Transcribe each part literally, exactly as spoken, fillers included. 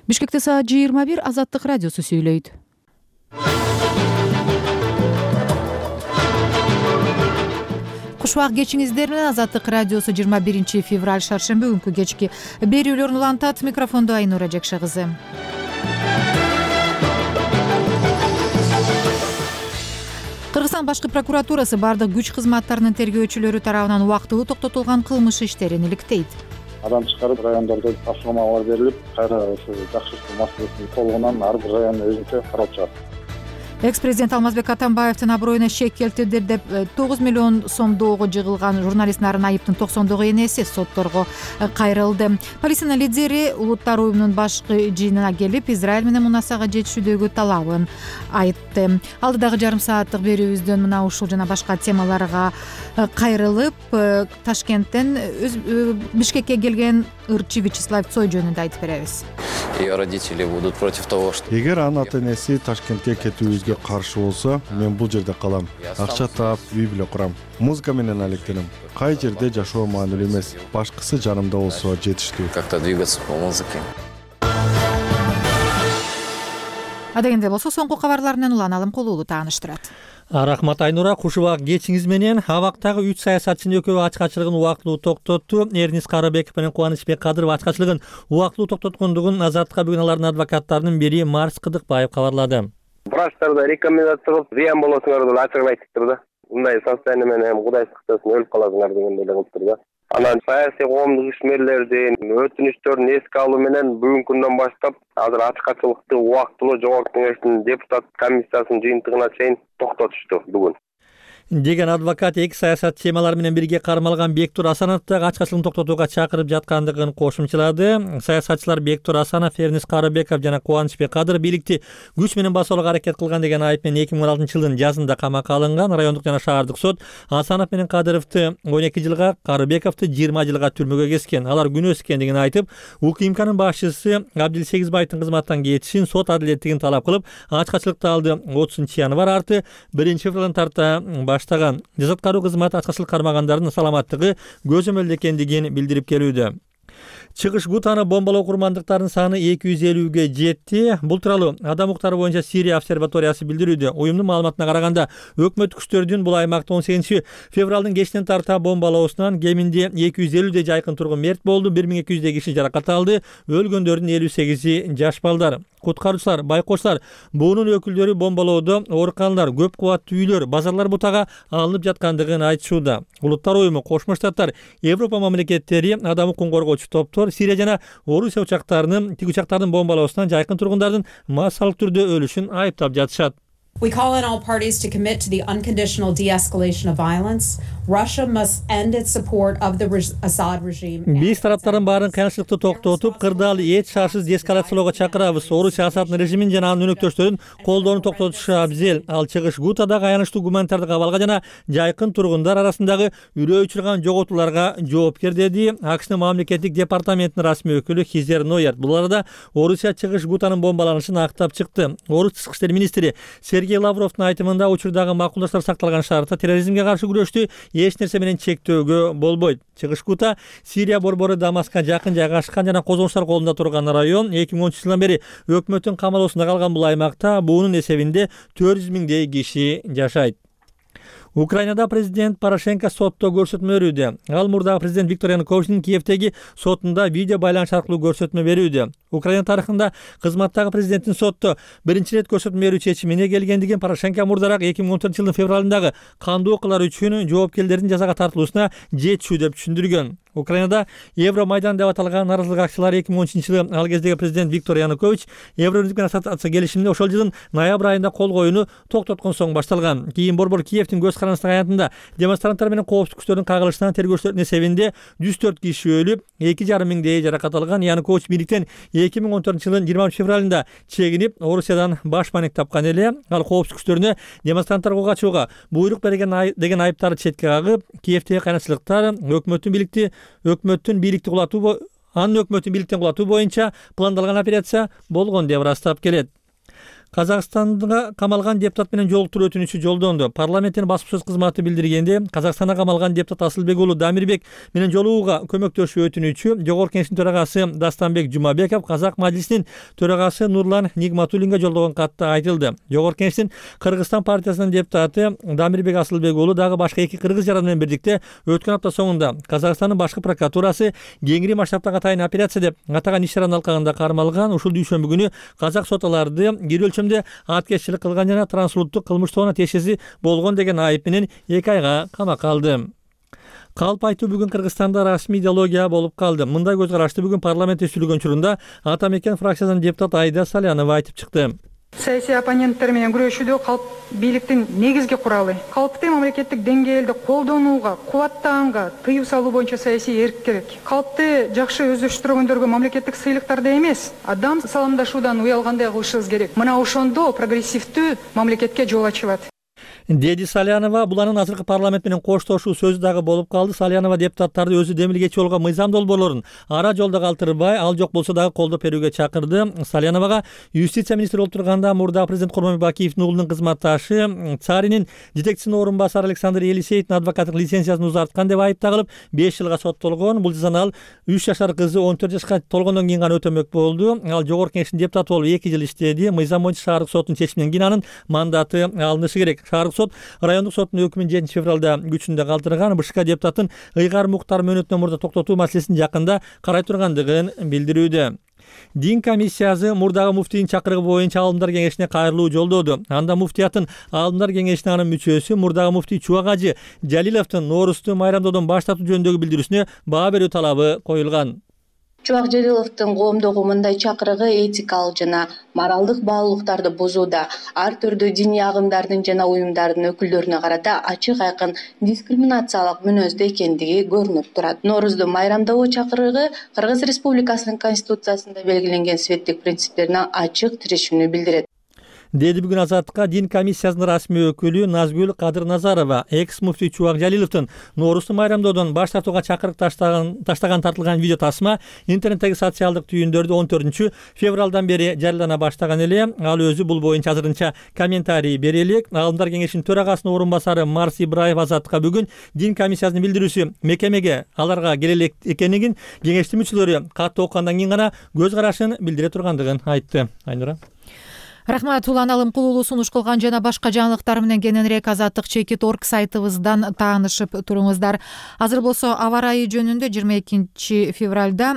Бишкекте саат жыйырма бир Азаттык радиосу сүйлөйт. Кушбак кечиңиздер менен Азаттык радиосу жыйырма биринчи февраль шаршемби күнкү кечки берүүлөрүн улантат. Микрофондо Айнура Жакшы кызы. Кыргызстан башкы прокуратурасы бардык күч кызматтарынын тергөөчүлөрү тарабынан убактылуу токтотулган кылмыш иштерин иликтейт. Адам чыгарып райондордо тапшырмалар берилип, кайра ушу жакшыртуу маселесин толугунан ар бир район өзүнчө каралып чыгат. Экс-президент Алмазбек Атамбаевдин аброюна шек келтирди деп тогуз миллион сомдогу жыгылган журналист Нарын Айыптын токсондогу энеси сотторго кайрылды. Палестина лидери Улуттар уюмунун башкы жыйынына келип, Израиль менен мунасага жетишүүдөгү талабын айтты. Алдыдагы жарым сааттык берүүбүздөн мына ушул жана башка темаларга кайрылып, Ташкенттен Бишкекке келген ырчы Вячеслав Цой жөнүндө айтып беребиз. Эгер анын ата-энеси Ташкентке кетүүбүзгө каршы болсо, мен бул жерде калам. Акча таап, үй бүлө курам. Музыка менен алектенем. Кай жерде жашоо маанилүү эмес. Башкысы жанымда болсо жетиштүү. Как-то двигаться по музыке. Адегенде болсо соңку кабарлар менен Улан Алымкулуулу тааныштырат. Рахмат Айнура. Кушубак кечиңиз менен абактагы үч саясатчынын экөө ачкачылыгын убактылуу токтотту. Эрнис Карыбеков менен Кубанычбек Кадыров ачкачылыгын убактылуу токтоткондугун Азаттыкка бүгүн алардын адвокаттарынын бири Марс Кыдыкбаев кабарлады. Врачтарда рекомендация кылып, зыян болосуңар деп ачыгын айтыптыр да. Мындай состояние менен Кудай сактасын өлүп каласыңар дегендей эле кылыптыр да. Анан саясий коомдук ишмерлердин өтүнүчтөрүн эске алуу менен бүгүнкү күндөн баштап азыр ачкачылыкты убактылуу жогорку кеңештин депутат комиссиясынын жыйынтыгына чейин токтотушту бүгүн деген адвокат эки саясат темалары менен бирге кармалган Бектур Асановду ачкачылыгын токтотууга чакырып жаткандыгын кошумчалады. Саясатчылар Бектур Асанов, Эрнис Карыбеков жана Кубанычбек Кадыров бийликти күч менен басууга аракет кылган деген айып менен эки миң он алтынчы жылдын жазында камакка алынган. Райондук жана шаардык сот Асанов менен Кадыровду он эки жылга, Карыбековду жыйырма жылга түрмөгө кескен. Алар күнөөсүз экендигин айтып, УКМКнын башчысы Абдилсегизбаевдин кызматтан кетишин, сот адилеттигин талап кылып, ачкачылыкты алды. отузунчу январь арты биринчи февралдан тарта баштаган жазаткаруу кызматы ачкачылык кармагандардын саламаттыгы көзөмөлдө экендигин билдирип келүүдө. Чыгыш Гутаны бомбалоо курмандыктарынын саны эки жүз элүүгө жетти. Бул тууралуу Адам укуктары боюнча Сирия обсерваториясы билдирүүдө. Уюмдун маалыматына караганда, өкмөт күчтөрүнүн бул аймакта он сегизинчи февралдын кечинен тарта бомбалоосунан кеминде эки жүз элүүдөй жайкын тургун мерт болду, бир миң эки жүздөй киши жаракат алды. Өлгөндөрдүн элүү сегизи жаш балдар. Куткаруучулар, байкочлар, буунун өкүлдөрү бомбалоодо ооруканалар, көп кубаттуу үйлөр, базарлар бутага алынып жаткандыгын айтышууда. Улуттар уюму, Кошмо Штаттар, Европа мамлекеттери, адам укугун коргоочу топтор Сирия жана Орусия учактарынын, тиг учактардын бомбалоосунан жайкын тургундардын массалык түрдө өлүшүн айыптап жатышат. We call on all parties to commit to the unconditional de-escalation of violence. Russia must end its support of the Assad regime. Биз тараптардын баарын кыянчылыкты токтотуп, кырдаал эч шарсыз деэскалациялоого чакырабыз. Орусия Асаддын режимин жана анын өнөктөштөрүн колдоону токтотушу абзел. Ал чыгыш Гутадагы аянычтуу гуманитардык абалга жана жайкын тургундар арасындагы үрөө учурган жоготууларга жоопкер, деди АКШнын мамлекеттик департаментинин расмий өкүлү Хизер Нойерт. Бул арада Орусия чыгыш Гутанын бомбаланышын актап чыкты. Орус тышкы иштер министри Сергей Лавровдун айтымында, учурдагы макулдаштар сакталган шартта терроризмге каршы күрөштү эч нерсе менен чектөөгө болбойт. Чыгыш Гута Сирия борбору Дамаска жакын жайгашкан жана козголуштар колунда турган район. эки миң онунчу жылдан бери өкмөттүн камалоосунда калган бул аймакта буунун эсебинде төрт жүз миңдей киши жашайт. Украинада президент Порошенко сотто көрсөтмө берүүдө. Ал мурдагы президент Виктор Януковичтин Киевдеги сотунда видео байланыш аркылуу көрсөтмө берүүдө. Украина тарыхында кызматтагы президенттин сотто биринчи ирет көрсөтмө берүү чечимине келгендигин Порошенко мурдараак эки миң он төртүнчү жылдын февралындагы кандуу окуялар үчүн жоопкерлердин жазага тартылуусуна жетишүү деп түшүндүргөн. Украинада Евромайдан деп аталган нааразылык акциялары эки миң он үчүнчү жылы ал кездеги президент Виктор Янукович Евробирлик менен ассоциация келишимине ошол жылдын ноябрь айында кол коюуну токтоткон соң башталган. Кийин борбор Киевдин көз карандысына аянтында демонстранттар менен коопсуздук күчтөрүнүн кагылышынан тергөөчүлөрдүн эсебинде жүз төрт киши өлүп, эки жарым миңдей жаракат алган. Янукович бийликтен эки миң он төртүнчү жылдын жыйырма үчүнчү февралында чегинип, Орусиядан баш маек тапкан эле. Ал коопсуздук күчтөрүнө демонстранттарга качууга буйрук берген деген айыптарды четке кагып, Киевдеги кайнатчылыктар өкмөттүн бийликти өкмөттүн бийликти кулатуу анын өкмөттүн бийликтен кулатуу боюнча пландалган операция болгон деп ырастап келет. Казакстанга камалган депутат менен жолуктуруу өтүнүчү жолдонду. Парламенттин басма сөз кызматы билдиргенде, Казакстанда камалган депутат Асылбек уулу Дамирбек менен жолугууга көмөктөшүү өтүнүчү Жогорку Кеңештин төрагасы Дастанбек Жумабеков Казак мажлисинин төрагасы Нурлан Нигматуллинге жолдогон катта айтылды. Жогорку Кеңештин Кыргызстан партиясынын депутаты Дамирбек Асылбек уулу дагы башка эки кыргыз жаран менен бирдикте өткөн апта соңунда Казакстандын башкы прокуратурасы кеңири масштабтагы атайын операция деп атаган иш-чаранын алкагында кармалган. Ушул дүйшөмбү күнү казак соталарды кири өлчөмдө аткезчилик кылган жана трансулуттук кылмыш тобуна тиешеси болгон деген айып менен эки айга камакка алды. Калп айтуу бүгүн Кыргызстанда расмий идеология болуп калды. Мындай көз карашты бүгүн парламентте сүйлөгөн учурунда Ата Мекен фракциясынын депутаты Айда Салянова айтып чыкты. Саясий оппоненттер менен күрөшүүдө калп бийликтин негизги куралы. Калпты мамлекеттик деңгээлде колдонууга, кубаттаганга тыюу салуу боюнча саясий эрк керек. Калпты жакшы өздөштүргөндөргө мамлекеттик сыйлыктарды эмес, адам саламдашуудан уялгандай кылышыбыз керек. Мына ошондо прогрессивдүү мамлекетке жол ачылат. Деди Салянова. Бул анын азыркы парламент менен коштошуу сөзү дагы болуп калды. Салянова депутаттарды өзү демилгечи болгон мыйзам долбоорлорун ара жолдо калтырбай, ал жок болсо дагы колдоп берүүгө чакырды. Саляновага юстиция министри болуп турганда мурда президент Курманбек Бакиевдин уулунун кызматташы Царинин жетекчисинин орун басары Александр Елисеевдин адвокаттык лицензиясын узарткан деп айып тагылып беш жылга соттолгон. Бул жазаны ал үч жашар кызы он төрт жашка толгондон кийин гана өтөмөк болду. Ал Жогорку Кеңештин депутаты болуп эки жыл иштеди. Мыйзам боюнча шаардык соттун чечиминен кийин анын мандаты алынышы керек. Шаардык сот райондук соттун өкүмүн жетинчи февралда күчүндө калтырган. БШК депутатын ыйгар муктар мөөнөтүнөн мурда токтотуу маселесин жакында карай тургандыгын билдирүүдө. Дин комиссиясы мурдагы муфтийдин чакырыгы боюнча Аалымдар кеңешине кайрылуу жолдоду. Анда муфтиятын Аалымдар кеңешинин анын мүчөсү мурдагы муфтий Чубак Жалиловдун Ноорузду майрамдоодон баш тартуу жөнүндөгү билдирүүсүнө баа берүү талабы коюлган. Чубак Жалиловдун коомдогу мындай чакырыгы этикалык жана моралдык баалуулуктарды бузууда, ар түрдүү диний агымдардын жана уюмдардын өкүлдөрүнө карата ачык айкын дискриминациялык мүнөздө экендиги көрүнүп турат. Ноорузду майрамдоо чакырыгы Кыргыз Республикасынын Конституциясында белгиленген светтик принциптерине ачык тирешүүнү билдирет. Деди бүгүн Азаттыкка дин комиссиясынын расмий өкүлү Назгүл Кадыр Назарова. Экс муфтий Чубак Жалиловдун Ноорузду майрамдоодон баш тартууга чакырык таштаган таштаган тартылган видео тасма интернеттеги социалдык түйүндөрдө он төртүнчү февралдан бери жарыялана баштаган эле. Ал өзү бул боюнча азырынча комментарий бере элек. Аалымдар кеңешинин төрагасынын орун басары Марс Ибраев Азаттыкка бүгүн дин комиссиясынын билдирүүсү мекемеге аларга келе элек экенин, кеңештин мүчөлөрү катты окугандан кийин гана көз карашын билдире тургандыгын айтты. Айнура. Рахмат, Улан Алымкулуулу сунуш кылган жана башка жаңылыктар менен кененирээк азаттык чекит орг сайтыбыздан таанышып туруңуздар. Азыр болсо аба ырайы жөнүндө жыйырма экинчи февралда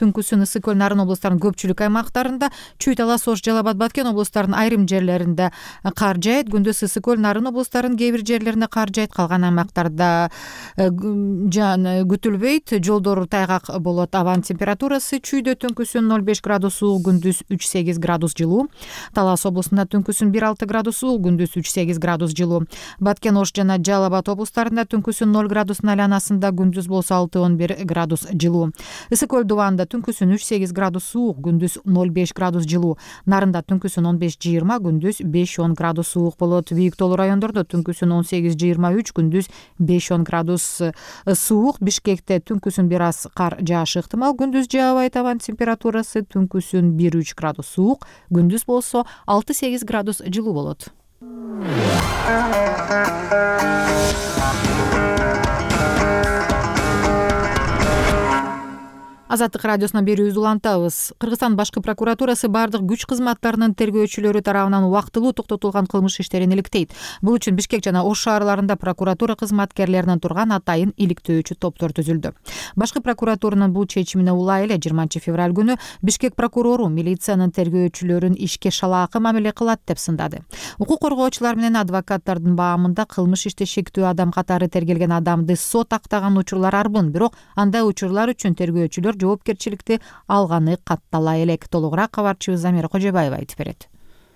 түнкүсүн Ысык Көл Нарын облустарынын көпчүлүк аймактарында, Чүй Талас Ош Жалал Абад Баткен облустарынын айрым жерлеринде кар жаайт. Күндүз Ысык Көл Нарын облустарынын кээ бир жерлерине кар жаайт, калган аймактарда жан күтүлбөйт. Жолдор тайгак болот. Абанын температурасы Чүйдө түнкүсүн ноль беш градус суук, күндүз үч сегиз градус жылуу. Талас облусунда түнкүсүн бир алты градус суук, күндүз үч сегиз градус жылуу. Баткен Ош жана Жалал Абад облустарында түнкүсүн ноль градустун айланасында, күндүз болсо алты он бир градус жылуу. Ысык Көл Дубанда түнкүсүн үч сегиз градус суук, күндүз ноль беш градус жылуу. Нарында түнкүсүн он беш жыйырма, күндүз беш он градус суук болот. Бийик тоолуу райондордо түнкүсүн он сегиз жыйырма үч, күндүз беш он градус суук. Бишкекте түнкүсүн бир аз кар жаашы ыктымал, күндүз жаабайт. Абанын температурасы түнкүсүн бир үч градус суук, күндүз болсо алты сегиз градус жылуу болот. Азаттык радиосунан берүүбүздү улантабыз. Кыргызстан башкы прокуратурасы бардык күч кызматтарынын тергөөчүлөрү тарабынан убактылуу токтотулган кылмыш иштерин иликтейт. Бул үчүн Бишкек жана Ош шаарларында прокуратура кызматкерлеринен турган атайын иликтөөчү топтор түзүлдү. Башкы прокуратуранын бул чечимине улай эле жыйырманчы февраль күнү Бишкек прокурору милициянын тергөөчүлөрүн ишке шалаакы мамиле кылат деп сындады. Укук коргоочулар менен адвокаттардын баамында кылмыш иште шектүү адам катары тергелген адамды сот актаган учурлар арбын, бирок андай учурлар үчүн тергөөчүлөр жоопкерчиликти алганы каттала элек. Толугураак кабарчыбыз Замира Кожобаева айтып берет.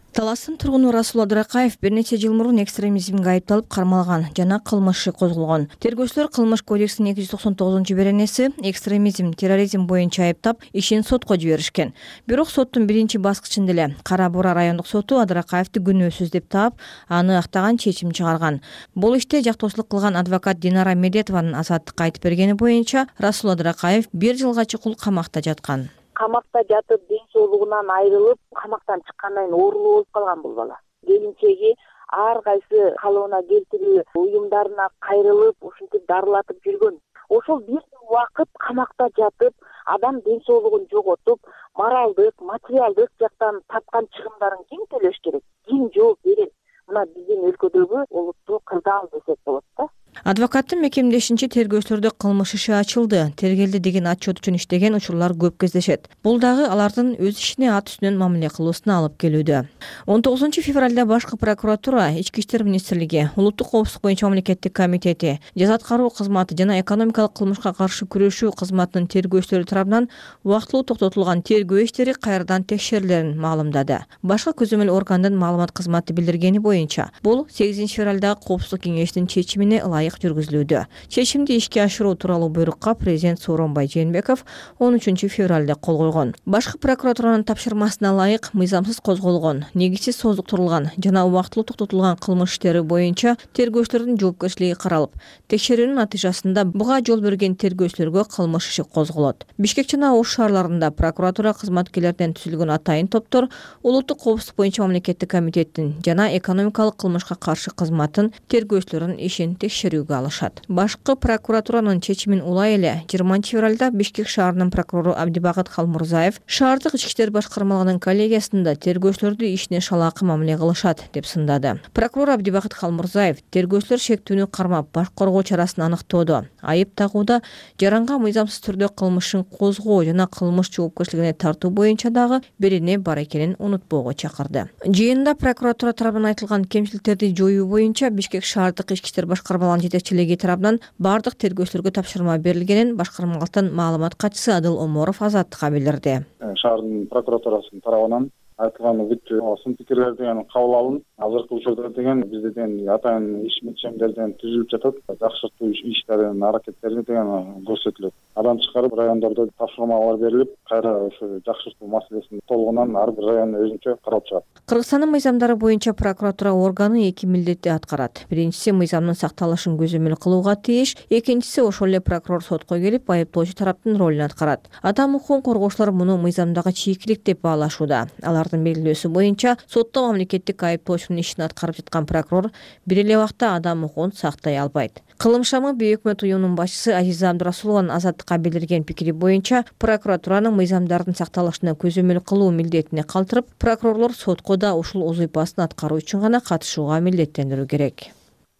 Таластын тургуну Расул Адыракаев бир нече жыл мурун экстремизмге айыпталып кармалган жана кылмышы козголгон. Тергөөчүлөр Кылмыш кодексинин эки жүз токсон тогузунчу беренеси экстремизм, терроризм боюнча айыптап, ишин сотко жиберишкен. Бирок соттун биринчи баскычында эле Кара Бура райондук соту Адыракаевди күнөөсүз деп таап, аны актаган чечим чыгарган. Бул иште жактоочулук кылган адвокат Динара Медетованын Азаттыкка айтып бергени боюнча Расул Адыракаев бир жылга чукул камакта жаткан. камакта жатып ден соолугунан айрылып, камактан чыккандан кийин оорулуу болуп калган бул бала. Келинчеги ар кайсы калыбына келтирүү уюмдарына кайрылып, ушинтип дарылатып жүргөн. Ошол бир убакыт камакта жатып, адам ден соолугун жоготуп, моралдык, материалдык жактан тапкан чыгымдарын ким төлөш керек? Ким жооп берет? Мына биздин өлкөдөгү олуттуу кырдаал десек болот да. Адвокаттын мекемдешинче тергөөчүлөрдө кылмыш иши ачылды. Тергелди деген отчет үчүн иштеген учурлар көп кездешет. Бул дагы алардын өз ишине ат үстүнөн мамиле кылуусуна алып келүүдө. он тогузунчу февралда башкы прокуратура, Ички иштер министрлиги, Улуттук коопсуздук боюнча мамлекеттик комитети, жаза аткаруу кызматы жана экономикалык кылмышка каршы күрөшүү кызматынын тергөөчүлөрү тарабынан убактылуу токтотулган тергөө иштери кайрадан текшерилерин маалымдады. Башкы көзөмөл органдын маалымат кызматы билдиргени боюнча, бул сегизинчи февралдагы коопсуздук кеңештин чечимине ылайык жүргүзүлүүдө. Чечимди ишке ашыруу тууралуу буйрукка президент Сооронбай Жээнбеков он үчүнчү февралда кол койгон. Башкы прокуратуранын тапшырмасына ылайык мыйзамсыз козголгон, негизсиз сооздуктурулган жана убактылуу токтотулган кылмыш иштери боюнча тергөөчүлөрдүн жоопкерчилиги каралып, текшерүүнүн натыйжасында буга жол берген тергөөчүлөргө кылмыш иши козголот. Бишкек жана Ош шаарларында прокуратура кызматкерлеринен түзүлгөн атайын топтор Улуттук коопсуздук боюнча мамлекеттик комитеттин жана экономикалык кылмышка каршы кызматтын тергөөчүлөрүнүн ишин текшерүүгө алышат. Башкы прокуратуранын чечимин улай эле жыйырманчы февралда Бишкек шаарынын прокурору Абдибакыт Халмурзаев шаардык ички иштер башкармалыгынын коллегиясында тергөөчүлөрдү ишине шалаакы мамиле кылышат деп сындады. Прокурор Абдибакыт Халмурзаев тергөөчүлөр шектүүнү кармап баш коргоо чарасын аныктоодо, айып тагууда, жаранга мыйзамсыз түрдө кылмышын козгоо жана кылмыш жоопкерчилигине тартуу боюнча дагы берене бар экенин унутпоого чакырды. Жыйында прокуратура тарабынан айтылган кемчиликтерди жоюу боюнча Бишкек шаардык ички иштер башкармалыгынын жетекчилиги тарабынан бардык тергөөчүлөргө тапшырма берилгенин башкармалыктын маалымат катчысы Адыл Оморов Азаттыкка билдирди. Шаардын прокуратурасынын тарабынан айтылган бүт сын пикирлер деген кабыл алынып, азыркы учурда деген бизде деген атайын иш мекчемдерден түзүлүп жатат. Жакшыртуу иштердин аракеттери деген көрсөтүлөт. Адам чыгарып райондордо тапшырмалар берилип, кайра ошо жакшыртуу маселесин толугунан ар бир район өзүнчө карап чыгат. Кыргызстандын мыйзамдары боюнча прокуратура органы эки милдетти аткарат. Биринчиси мыйзамдын сакталышын көзөмөл кылууга тийиш, экинчиси ошол эле прокурор сотко келип айыптоочу тараптын ролун аткарат. Адам укугун коргоочулар муну мыйзамдагы чийкилик деп баалашууда. Алардын белгилөөсү боюнча сотто мамлекеттик айыптоочунун ишин аткарып жаткан прокурор бир эле убакта адам укугун сактай албайт. Кылымшамы бейөкмөт уюмунун башчысы Азиза Абдурасулованын Азаттыкка билдирген пикири боюнча прокуратуранын мыйзамдардын сакталышына көзөмөл кылуу милдетине калтырып, прокурорлор сотко да ушул узуйпасын аткаруу үчүн гана катышууга милдеттендирүү керек.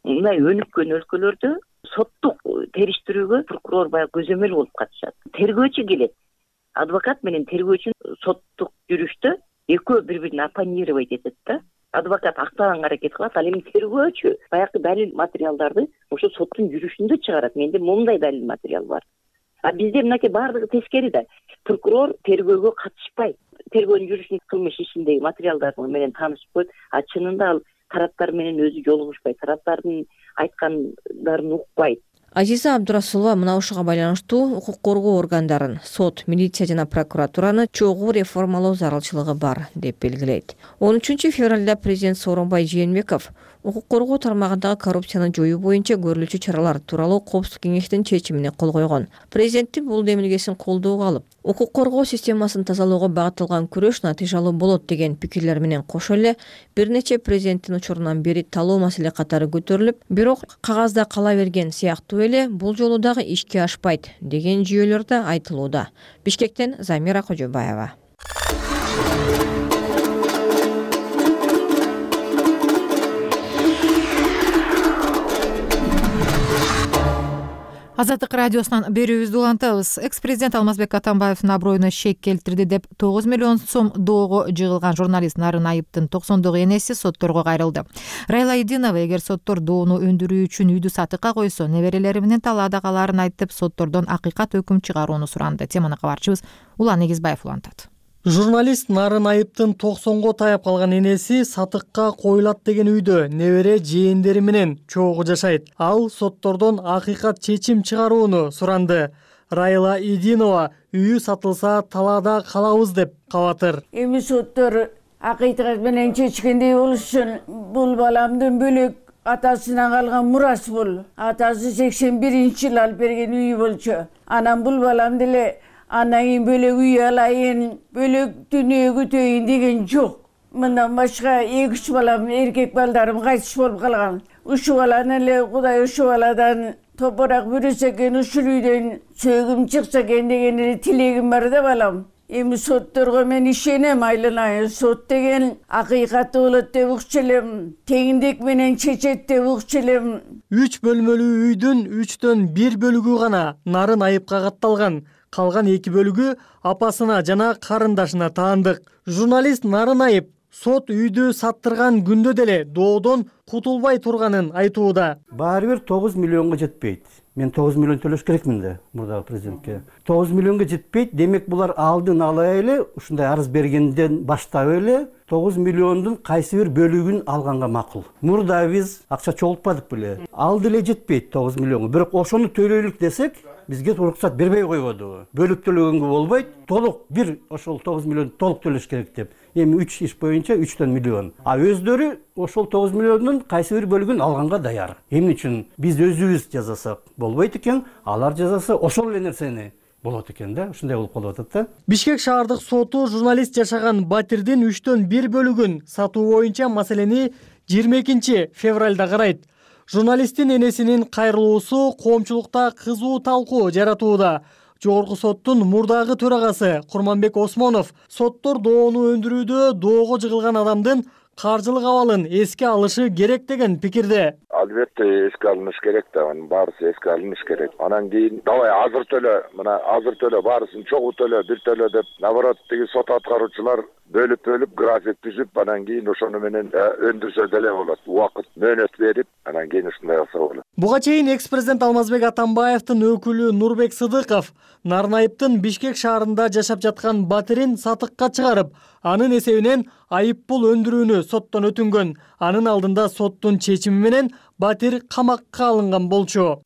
Мына өнүккөн өлкөлөрдө соттук териштирүүгө прокурор баягы көзөмөл болуп катышат. Тергөөчү келет. Адвокат менен тергөөчү соттук жүрүштө экөө бири-бирин оппонировать этет да. Адвокат актаганга аракет кылат, ал эми тергөөчү баягы далил материалдарды ошо соттун жүрүшүндө чыгарат. Менде момундай далил материал бар. А бизде мынакей баардыгы тескери да. Прокурор тергөөгө катышпайт. Тергөөнүн жүрүшүн кылмыш ишиндеги материалдар менен таанышып коет. А чынында ал тараптар менен өзү жолугушпайт, тараптардын айткандарын укпайт. Азиза Абдурасулова мына ушуга байланыштуу укук коргоо органдарын, сот, милиция жана прокуратураны чогуу реформалоо зарылчылыгы бар деп белгилейт. он үчүнчү февралда президент Сооронбай Жээнбеков укук коргоо тармагындагы коррупцияны жоюу боюнча көрүлүүчү чаралар тууралуу коопсуздук кеңештин чечимине кол койгон. Президенттин бул демилгесин колдоого алып, укук коргоо системасын тазалоого багытталган күрөш натыйжалуу болот деген пикирлер менен кошо эле бир нече президенттин учурунан бери талоо маселе катары көтөрүлүп, бирок кагазда кала берген сыяктуу эле бул жолу дагы ишке ашпайт деген жүйөлөр да айтылууда. Бишкектен Замира Кожобаева. Азаттык радиосунан берүүбүздү улантабыз. Экс-президент Алмазбек Атамбаевдин аброюна шек келтирди деп тогуз миллион сом доого жыгылган журналист Нарын Айыптын токсондогу энеси сотторго кайрылды. Райла Идинова эгер соттор доону өндүрүү үчүн үйдү сатыкка койсо, неберелери менен талаада калаарын айтып, соттордон акыйкат өкүм чыгарууну суранды. Теманы кабарчыбыз Улан Эгизбаев улантат. Журналист Нарын Айыптын токсонго таяп калган энеси сатыкка коюлат деген үйдө небере жээндери менен чогуу жашайт. Ал соттордон акыйкат чечим чыгарууну суранды. Райла Идинова үйү сатылса талаада калабыз деп кабатыр. Эми соттор акыйкат менен чечкендей болушун, бул баламдын бөлөк атасынан калган мурас бул. Атасы сексен биринчи жылы алып берген үйү болчу. Анан бул балам деле андан кийин бөлөк үй алайын, бөлөк дүнүйө көтөйүн деген жок. Мындан башка эки үч балам, эркек балдарым кайтыш болуп калган. Ушул баланы эле Кудай ушул баладан топурак бүрүсө экен, ушул үйдөн сөөгүм чыкса экен деген эле тилегим бар да балам. Эми сотторго мен ишенем, айланайын. Сот деген акыйкаты болот деп укчу элем. Теңдик менен чечет деп укчу элем. үч бөлмөлүү үйдүн үчтөн бир бөлүгү гана нарын айыпка катталган. Калган эки бөлүгү апасына жана карындашына таандык. Журналист Нарын Айып сот үйдү саттырган күндө деле доодон кутулбай турганын айтууда. Баары бир тогуз миллионго жетпейт. Мен тогуз миллион төлөш керекмин да мурдагы президентке. тогуз миллионго жетпейт. Демек булар алдын ала эле ушундай арыз бергенден баштап эле тогуз миллиондун кайсы бир бөлүгүн алганга макул. Мурда биз акча чогултпадык беле. Алды эле жетпейт тогуз миллионго. Бирок ошону төлөйлүк десек, бизге уруксат бербей койбоду. Бөлүп төлөгөнгө болбойт. Толук бир ошол тогуз миллион толук төлөш керек деп. Эми үч иш боюнча үчтөн миллион. А өздөрү ошол тогуз миллиондун кайсы бир бөлүгүн алганга даяр. Эмне үчүн биз өзүбүз жазасак болбойт экен, алар жазаса ошол эле нерсени болот экен да. Ушундай болуп калып атат да. Бишкек шаардык соту журналист жашаган батирдин үчтөн бир бөлүгүн сатуу боюнча маселени жыйырма экинчи февралда карайт. Журналисттин энесинин кайрылуусу коомчулукта кызуу талкуу жаратууда. Жогорку соттун мурдагы төрагасы Курманбек Осмонов соттор доону өндүрүүдө доого жыгылган адамдын каржылык абалын эске алышы керек деген пикирде. Албетте эске алыныш керек да, анын баарысы эске алыныш керек. Анан кийин давай азыр төлө, мына азыр төлө, баарысын чогуу төлө, бир төлө деп, наоборот тиги сот аткаруучулар бөлүп-бөлүп график түзүп, анан кийин ошону менен өндүрсө деле болот. Убакыт мөөнөт берип, анан кийин ушундай кылса болот. Буга чейин экс-президент Алмазбек Атамбаевдин өкүлү Нурбек Сыдыков Нарын Айыптын Бишкек шаарында жашап жаткан батирин сатыкка чыгарып, анын эсебинен айып пул өндүрүүнү соттон өтүнгөн. Анын алдында соттун чечими менен батир камакка алынган болчу.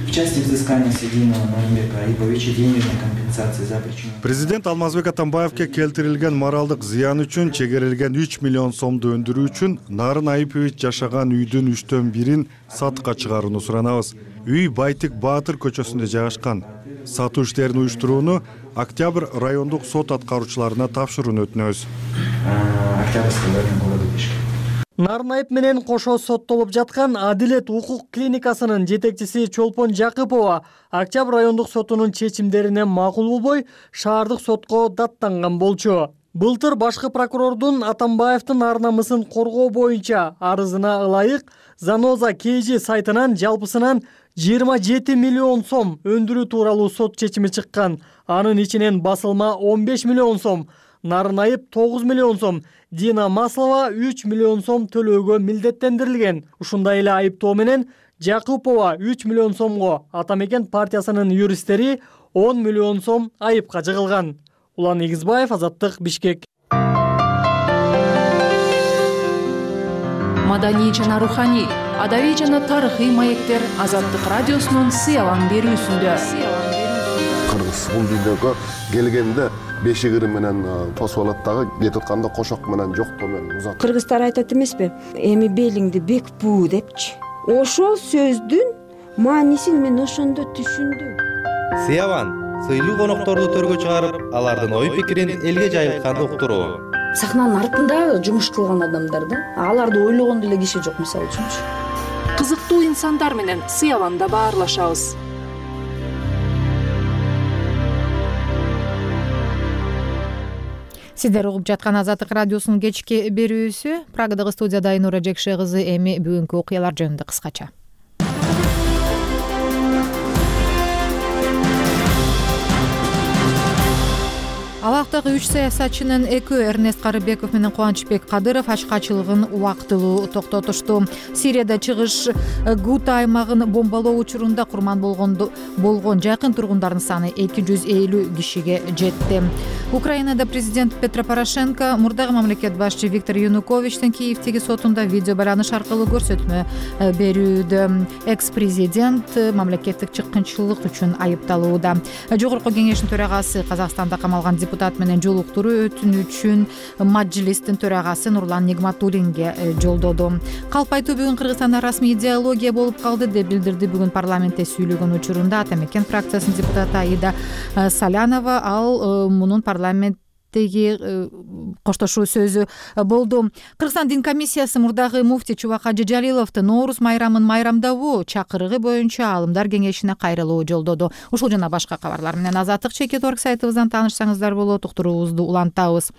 Президент Алмазбек Атамбаевке келтирилген моралдык зыян үчүн чегерилген үч миллион сомду өндүрүү үчүн Нарын Айыпович жашаган үйдүн үчтөн бирин сатыкка чыгарууну суранабыз. Үй Байтик Баатыр көчөсүндө жайгашкан. Сатуу иштерин уюштурууну Октябрь райондук сот аткаруучуларына тапшырууну өтүнөбүз. Нарын Айып менен кошо соттолуп жаткан Адилет укук клиникасынын жетекчиси Чолпон Жакыпова Октябрь райондук сотунун чечимдерине макул болбой, шаардык сотко даттанган болчу. Былтыр башкы прокурордун Атамбаевдин ар намысын коргоо боюнча арызына ылайык Заноза Кейжи сайтынан жалпысынан жыйырма жети миллион сом өндүрүү тууралуу сот чечими чыккан. Анын ичинен басылма он беш миллион сом, Нарын Айып тогуз миллион сом, Дина Маслова үч миллион сом төлөөгө милдеттендирилген. Ушундай эле айыптоо менен Жакупова үч миллион сомго, Ата Мекен партиясынын юристтери он миллион сом айыпка жыгылган. Улан Игизбаев, Азаттык, Бишкек. Маданий жана руханий, адабий жана тарыхый маектер Азаттык радиосунун сыялан берүүсүндө. Кыргыз бул дүйнөгө келгенде бешигири менен тосуп алат дагы, кетип атканда кошок менен жоктоо менен узат. Кыргыздар айтат эмеспи? Эми белиңди бек буу депчи. Ошол сөздүн маанисин мен ошондо түшүндүм. Сыяван сыйлуу конокторду төргө чыгарып, алардын ой пикирин элге жайылтканды уктуруу. Сахнанын артында жумуш кылган адамдар да, аларды ойлогондо эле киши жок, мисалы үчүнчү. Кызыктуу инсандар менен Сыяванда баарлашабыз. Сиздер угуп жаткан Азаттык радиосунун кечки берүүсү. Прагадагы студияда Айнура Жекше кызы. Эми бүгүнкү окуялар жөнүндө кыскача. Алактагы үч саясатчынын экөө Эрнест Карыбеков менен Кубанычбек Кадыров ачкачылыгын убактылуу токтотушту. Сирияда чыгыш Гута аймагын бомбалоо учурунда курман болгон жакын тургундардын саны эки жүз элүү кишиге жетти. Украинада президент Петро Порошенко мурдагы мамлекет башчы Виктор Януковичтин Киевдеги сотунда видео байланыш аркылуу көрсөтмө берүүдө. Экс-президент мамлекеттик чыккынчылык үчүн айыпталууда. Жогорку кеңештин төрагасы Казакстанда камалган депутат менен жолуктуруу өтүнүчүн Мажилистин төрагасы Нурлан Нигматуллинге жолдоду. Калп айтуу бүгүн Кыргызстанда расмий идеология болуп калды деп билдирди бүгүн парламентте сүйлөгөн учурунда Ата Мекен фракциясынын депутаты Аида Салянова. Ал мунун парламент коштошуу сөзү болду. Кыргызстан дин комиссиясы мурдагы муфти Чубак Ажы Жалиловдун Нооруз майрамын майрамдабоо чакырыгы боюнча алымдар кеңешине кайрылуу жолдоду. Ушул жана башка кабарлар менен Азаттык чекит орг сайтыбыздан таанышсаңыздар болот. Уктуруубузду улантабыз.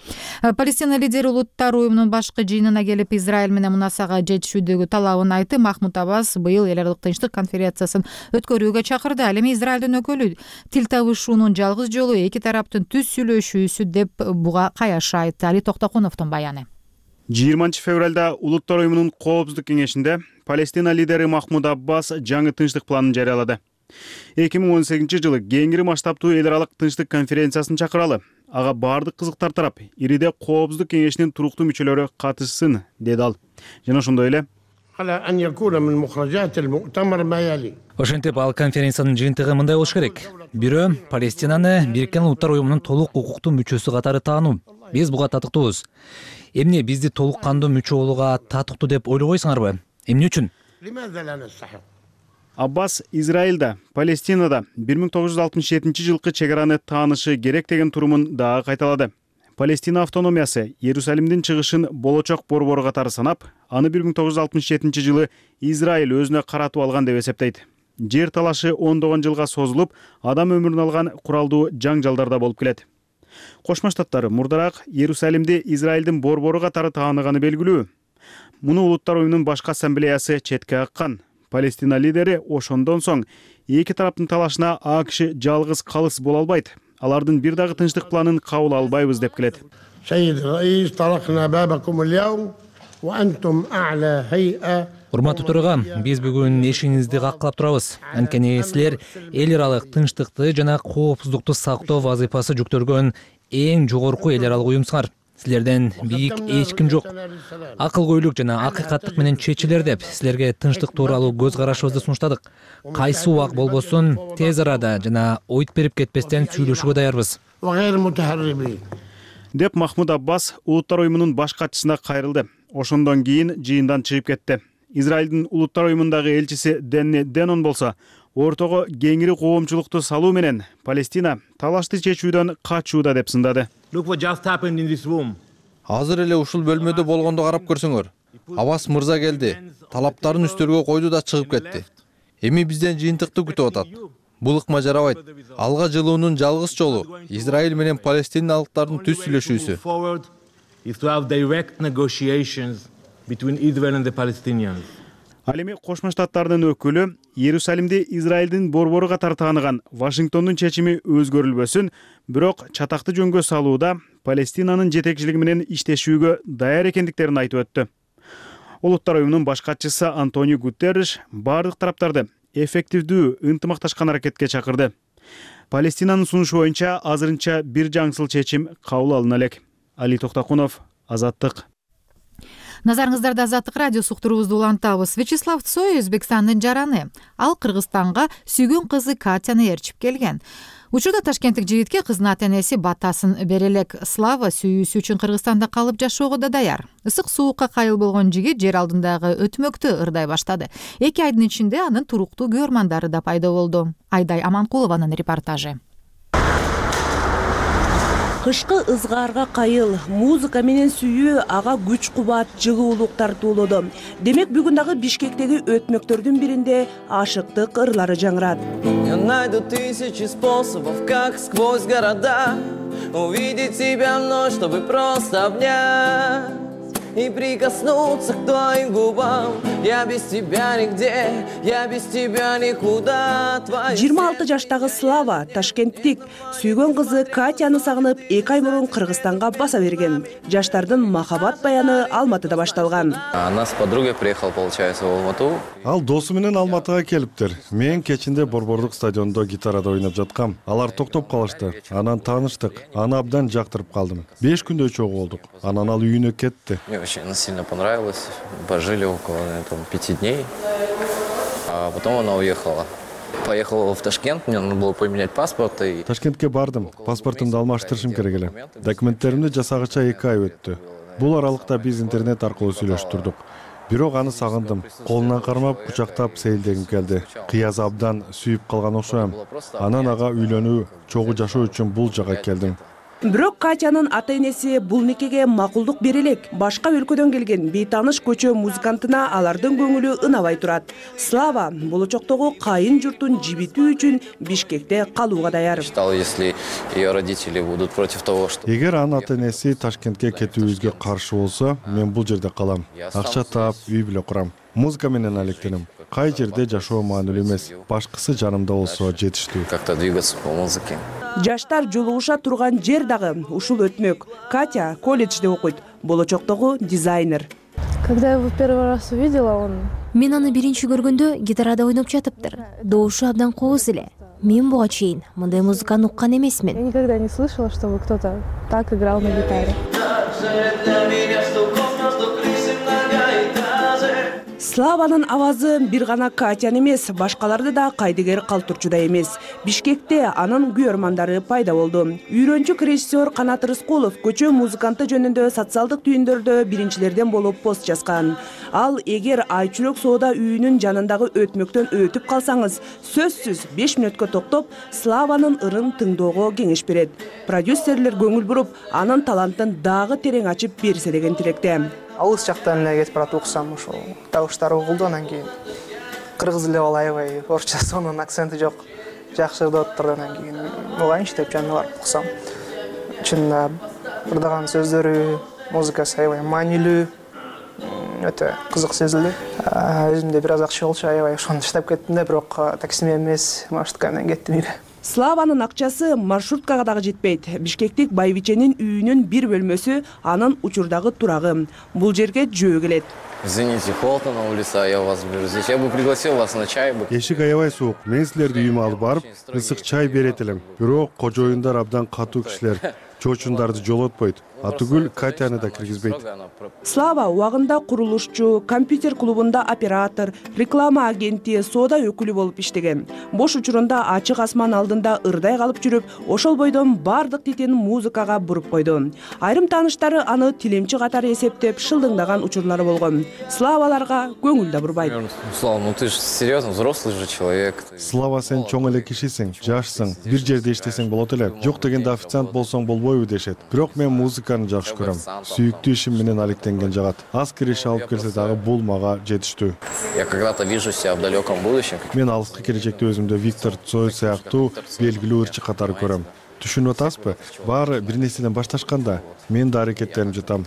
Палестина лидери Улуттар уюмунун башкы жыйынына келип Израиль менен мунасага жетишүүдөгү талабын айтты. Махмуд Аббас быйыл эл аралык тынчтык конференциясын өткөрүүгө чакырды. Ал эми Израилдин өкүлү тил табышуунун жалгыз жолу эки тараптын түз сүйлөшүүсү деп буга каяша айтты. Али Токтокуновдун баяны. жыйырманчы февралда Улуттар уюмунун коопсуздук кеңешинде Палестина лидери Махмуд Аббас жаңы тынчтык планын жарыялады. эки миң он сегизинчи жылы кеңири масштабтуу эл аралык тынчтык конференциясын чакыралы. Ага бардык кызыктар тарап ириде коопсуздук кеңешинин туруктуу мүчөлөрү катышсын, деди ал. Жана ошондой эле ошентип ал конференциянын жыйынтыгы мындай болуш керек. Бирөө Палестинаны Бириккен Улуттар уюмунун толук укуктуу мүчөсү катары таануу. Биз буга татыктуубуз. Эмне бизди толук кандуу мүчө болууга татыктуу деп ойлобойсуңарбы? Эмне үчүн? Аббас Израилда, Палестинада бир миң тогуз жүз алтымыш жетинчи жылкы чек араны таанышы керек деген турумун дагы кайталады. Палестина автономиясы Иерусалимдин чыгышын болочок борбору катары санап, аны бир миң тогуз жүз алтымыш жетинчи жылы Израиль өзүнө каратып алган деп эсептейт. Жер талашы ондогон жылга созулуп, адам өмүрүн алган куралдуу жаңжалдарда болуп келет. Кошмо Штаттар мурдараак Иерусалимди Израилдин борбору катары тааныганы белгилүү. Муну Улуттар уюмунун башкы ассамблеясы четке каккан. Палестина лидери ошондон соң эки тараптын талашына АКШ жалгыз калыс боло албайт. Алардын бир дагы тынчтык планын кабыл албайбыз деп келет. Урматтуу төрагам, биз бүгүн эшигиңизди каккылап турабыз. Анткени силер эл аралык тынчтыкты жана коопсуздукту сактоо вазыйфасы жүктөлгөн эң жогорку эл аралык уюмсуңар. Силерден бийик эч ким жок. Акылгөйлүк жана акыйкаттык менен чечилер деп силерге тынчтык тууралуу көз карашыбызды сунуштадык. Кайсы убак болбосун тез арада жана ойт берип кетпестен сүйлөшүүгө даярбыз. Деп Махмуд Аббас Улуттар уюмунун баш катчысына кайрылды. Ошондон кийин жыйындан чыгып кетти. Израилдин Улуттар уюмундагы элчиси Денни Денон болсо, ортого кеңири коомчулукту салуу менен Палестина талашты чечүүдөн качууда деп сындады. Азыр эле ушул бөлмөдө болгондо карап көрсөңөр. Аббас мырза келди, талаптарын үстөлгө койду да чыгып кетти. Эми бизден жыйынтыкты күтүп атат. Бул ыкма жарабайт. Алга жылуунун жалгыз жолу Израиль менен палестиналыктардын түз сүйлөшүүсү. Ал эми Кошмо Штаттардын өкүлү Иерусалимди Израилдин борбору катары тааныган Вашингтондун чечими өзгөрүлбөсүн, бирок чатакты жөнгө салууда Палестинанын жетекчилиги менен иштешүүгө даяр экендиктерин айтып өттү. Улуттар уюмунун баш катчысы Антонио Гутерриш бардык тараптарды эффективдүү ынтымакташкан аракетке чакырды. Палестинанын сунушу боюнча азырынча бир жаңсыл чечим кабыл алына элек. Али Токтокунов, Азаттык. Назарыңыздарда Азаттык радиосу уктуруубузду улантабыз. Вячеслав Цой Өзбекстандын жараны. Ал Кыргызстанга сүйгөн кызы Катяны ээрчип келген. Учурда ташкенттик жигитке кыздын ата-энеси батасын бере элек. Слава сүйүүсү үчүн Кыргызстанда калып жашоого да даяр. Ысык суукка кайыл болгон жигит жер алдындагы өтмөктү ырдай баштады. Эки айдын ичинде анын туруктуу көрмандары да пайда болду. Айдай Аманкулованын репортажы. Кышкы ызгаарга кайыл, музыка менен сүйүү ага күч кубат, жылуулук тартуулоду. Демек бүгүн дагы Бишкектеги өтмөктөрдүн биринде ашыктык ырлары жаңырат. Я найду тысячи способов, как сквозь города увидеть тебя вновь, чтобы просто обнять и прикоснуться к твоим губам. Я без тебя нигде, я без тебя никуда. жыйырма алты жаштагы Слава ташкенттик сүйгөн кызы Катяны сагынып эки ай мурун Кыргызстанга баса берген. Жаштардын махабат баяны Алматыда башталган. Она с подругой приехала, получается, в Алмату. Ал досу менен Алматыга келиптир. Мен кечинде Борбордук стадиондо гитарада ойноп жаткам. Алар токтоп калышты. Анан тааныштык. Аны абдан жактырып калдым. беш күндөй чогуу болдук. Анан ал үйүнө кетти. Очень сильно понравилось. Пожили около там, пяти дней. А потом она уехала. Поехал в Ташкент, мне нужно было поменять паспорт и Ташкентке бардым. Паспортумду алмаштырышым керек эле. Документтеримди жасагыча эки ай өттү. Бул аралыкта биз интернет аркылуу сүйлөшүп турдук. Бирок аны сагындым. Колунан кармап, кучактап сейилдегим келди. Кыяз абдан сүйүп калган окшойм. Анан ага үйлөнүү, чогуу жашоо үчүн бул жака келдим. Бирок Катянын ата-энеси бул никеге макулдук бере элек. Башка өлкөдөн келген бейтааныш көчө музыкантына алардын көңүлү ынабай турат. Слава болочоктогу кайын журтун жибитүү үчүн Бишкекте калууга даяр. если ее родители будут против того, что Эгер анын ата-энеси Ташкентке кетүүбүзгө каршы болсо, мен бул жерде калам. Акча таап, үй бүлө курам. Музыка менен алектенем. Кай жерде жашоо маанилүү эмес. Башкысы жанымда болсо жетиштүү. Как-то двигаться по музыке. Жаштар жолугуша турган жер дагы ушул өтмөк. Катя колледжде окуйт. Болочоктогу дизайнер. Когда я его первый раз увидела, он... Мен аны биринчи көргөндө гитарада ойноп жатыптыр. Добушу абдан кооз эле. Мен буга чейин мындай музыканы уккан эмесмин. Я никогда не слышала, чтобы кто-то так играл на гитаре. Славанын авазы бир гана Катян эмес, башкаларды да кайдыгер калтырчудай эмес. Бишкекте анын күйөрмандары пайда болду. Үйрөнчүк режиссер Канат Рыскулов көчө музыканты жөнүндө социалдык түйүндөрдө биринчилерден болуп пост жазган. Ал эгер Айчүрөк соода үйүнүн жанындагы өтмөктөн өтүп калсаңыз, сөзсүз беш мүнөткө токтоп, Славанын ырын тыңдоого кеңеш берет. Продюсерлер көңүл буруп, анын талантын дагы терең ачып берсе деген тилекте. Алыс жактан эле кетип барат уксам, ошол табыштар угулду, анан кийин кыргыз эле болуп аябай орусча сонун акценти жок, жакшы деп атты. Анан кийин угайынчы деп жанына барып уксам, чынында ырдаган сөздөрү, музыкасы аябай маанилүү, өтө кызык сезилди. Өзүмдө бир аз акча болчу, аябай ошону иштеп кеттим да, бирок такси менен эмес, маршрутка менен кеттим үйгө. Славанын акчасы маршруткага дагы жетпейт. Бишкектик Байбиченин үйүнүн бир бөлмөсү анын учурдагы турагы. Бул жерге жөө келет. Извините, холодно на улице, а я вас беру здесь. Я бы пригласил вас на чай. Эшик аябай суук. Мен силерди үйүмө алып барып, ысык чай берет элем. Бирок кожоюндар абдан катуу кишилер. Чоочундарды жолотпойт. Атүгүл Катяны да киргизбейт. Слава убагында курулушчу, компьютер клубунда оператор, реклама агенти, соода өкүлү болуп иштеген. Бош учурунда ачык асман алдында ырдай калып жүрүп, ошол бойдон бардык титин музыкага буруп койду. Айрым тааныштары аны тилемчи катары эсептеп шылдыңдаган учурлары болгон. Славаларга көңүл да бурбайт. Слава, ну ты ж серьезно, взрослый же человек. Слава, сен чоң эле кишисиң, жашсың, бир жерде иштесең болот эле. Жок дегенде официант болсоң болбойбу дешет. Бирок мен музыка жакшы көрөм. Сүйүктүү ишим менен алектенген жагат. Аз кириш алып келсе дагы бул мага жетиштүү. Я когда-то вижу себя в далеком будущем. Мен алыскы келечекте өзүмдө Виктор Цой сыяктуу белгилүү ырчы катары көрөм. Түшүнүп атасызбы? Баары бир нерседен башташканда мен да аракеттенип жатам.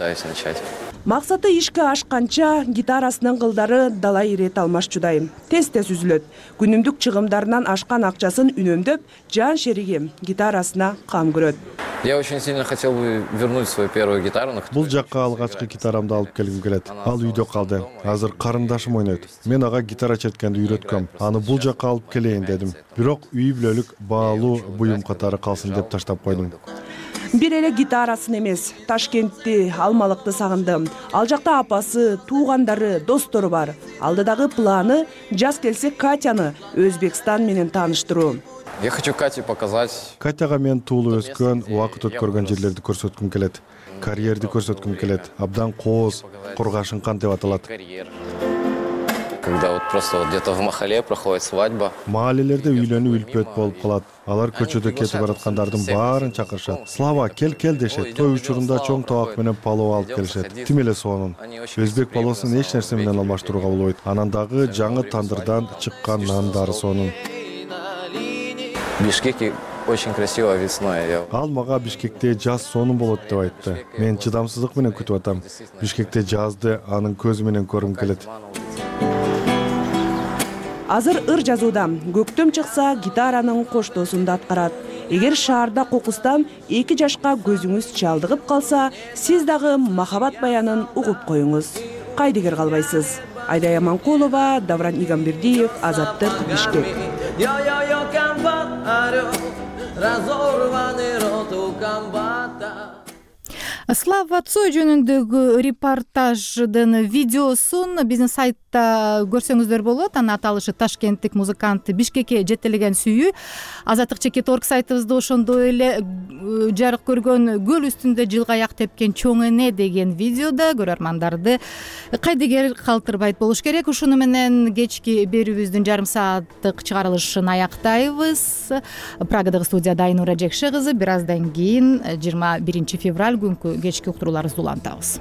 Максаты ишке ашканча гитарасынын кылдары дала ирет алмашчудай. Тез-тез үзүлөт. Күнүмдүк чыгымдарынан ашкан акчасын үнөмдөп, жан шериги гитарасына кам көрөт. Я очень сильно хотел бы вернуть свою первую гитару. Бул жакка алгачкы гитарамды алып келгим келет. Ал үйдө калды. Азыр карындашым ойнойт. Мен ага гитара черткенди үйрөткөм. Аны бул жакка алып келейин дедим. Бирок үй бүлөлүк баалуу буюм катары калсын деп таштап койдум. Бир эле гитарасын эмес, Ташкентти, Алмалыкты сагынды. Ал жакта апасы, туугандары, достору бар. Алдыдагы планы жаз келсе Катяны Өзбекстан менен тааныштыруу. Я хочу Кате показать. Катяга мен туулуп өскөн, убакыт өткөргөн жерлерди көрсөткүм келет. Карьерди көрсөткүм келет. Абдан кооз, Кургашынкан деп аталат. Когда вот просто вот где-то в Махале проходит свадьба. Маалелерде үйлөнүү үлпөт болуп калат. Алар көчөдө кетип бараткандардын баарын чакырышат. Слава, кел кел дешет. Той учурунда чоң табак менен палоо алып келишет. Тим эле сонун. Өзбек палоосун эч нерсе менен алмаштырууга болбойт. Анан дагы жаңы тандырдан чыккан нандары сонун. Бишкеке очень красиво весной. Ал мага Бишкекте жаз сонун болот деп айтты. Мен чыдамсыздык менен күтүп атам. Бишкекте жазды анын көзү менен көргүм келет. Азыр ыр жазууда. Көктөм чыкса гитаранын коштоосунда аткарат. Эгер шаарда кокустан эки жашка көзүңүз чалдыгып калса, сиз дагы махабат баянын угуп коюңуз. Кайдыгер калбайсыз. Айдай Аманкулова, Давран Игамбердиев, Азаттык, Бишкек. Слава Цой жөнүндөгү репортаждын видеосун биздин сайтта көрсөңүздөр болот. Анын аталышы Ташкенттик музыкант Бишкекке жетелеген сүйүү. Азаттык чекит точка орг сайтыбызда ошондой эле жарык көргөн көл үстүндө жылгаяк тепкен чоң эне деген видеодо көрөрмандарды кайдыгер калтырбайт болуш керек. Ушуну менен кечки берүүбүздүн жарым сааттык чыгарылышын аяктайбыз. Прагадагы студияда Айнура Жекше кызы. Бир аздан кийин жыйырма биринчи февраль күнкү кечки уктурууларыбызды улантабыз.